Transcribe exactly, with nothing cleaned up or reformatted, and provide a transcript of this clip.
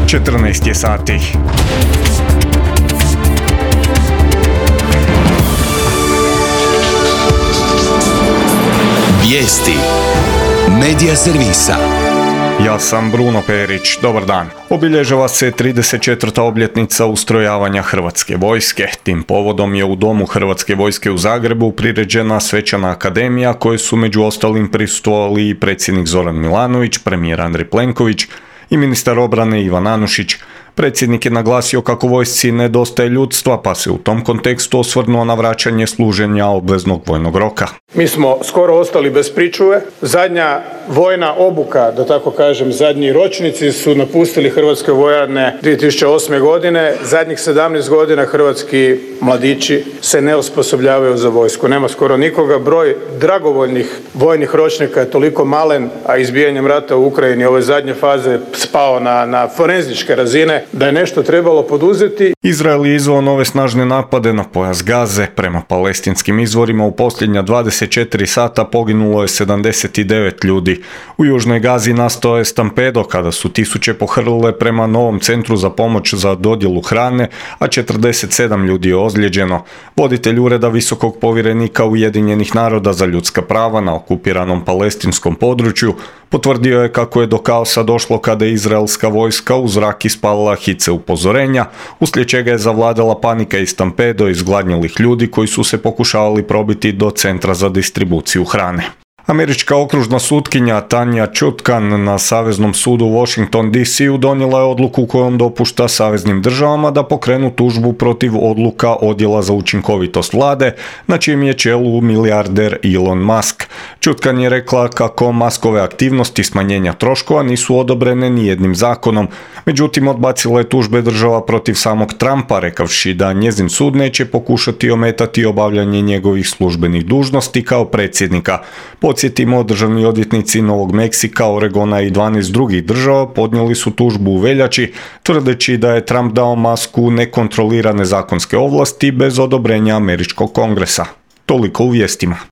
četrnaest je sati. Vijesti Medija servisa. Ja sam Bruno Perić, dobar dan. Obilježava se trideset četvrta obljetnica ustrojavanja Hrvatske vojske. Tim povodom je u Domu Hrvatske vojske u Zagrebu priređena svečana akademija koje su među ostalim prisustvovali i predsjednik Zoran Milanović, premijer Andrej Plenković i ministar obrane Ivan Anušić. Predsjednik je naglasio kako vojsci nedostaje ljudstva, pa se u tom kontekstu osvrnuo na vraćanje služenja obveznog vojnog roka. Mi smo skoro ostali bez pričuve. Zadnja vojna obuka, da tako kažem, zadnji ročnici su napustili hrvatske vojarne dvije tisuće osme. godine. Zadnjih sedamnaest godina hrvatski mladići se ne osposobljavaju za vojsku. Nema skoro nikoga. Broj dragovoljnih vojnih ročnika je toliko malen, a izbijanjem rata u Ukrajini ove zadnje faze spao na, na forenzičke razine, da je nešto trebalo poduzeti. Izrael je izveo nove snažne napade na pojas Gaze. Prema palestinskim izvorima u posljednja dvadeset četiri sata poginulo je sedamdeset devet ljudi. U južnoj Gazi nastao je stampedo kada su tisuće pohrlile prema novom centru za pomoć za dodjelu hrane, a četrdeset sedam ljudi je ozlijeđeno. Voditelj ureda visokog povjerenika Ujedinjenih naroda za ljudska prava na okupiranom palestinskom području potvrdio je kako je do kaosa došlo kada je izraelska vojska u zrak ispalila hice upozorenja, uslijed čega je zavladala panika i stampedo izgladnjelih ljudi koji su se pokušavali probiti do centra za distribuciju hrane. Američka okružna sutkinja Tanja Chutkan na Saveznom sudu u Washington D C u donijela je odluku kojom dopušta saveznim državama da pokrenu tužbu protiv odluka Odjela za učinkovitost vlade, na čijem je čelu milijarder Elon Musk. Chutkan je rekla kako Muskove aktivnosti smanjenja troškova nisu odobrene ni jednim zakonom, međutim odbacila je tužbe država protiv samog Trumpa, rekavši da njezin sud neće pokušati ometati obavljanje njegovih službenih dužnosti kao predsjednika. Podsjetimo, državni odvjetnici Novog Meksika, Oregona i dvanaest drugih država podnijeli su tužbu u veljači, tvrdeći da je Trump dao Musku nekontrolirane zakonske ovlasti bez odobrenja američkog kongresa. Toliko u vijestima.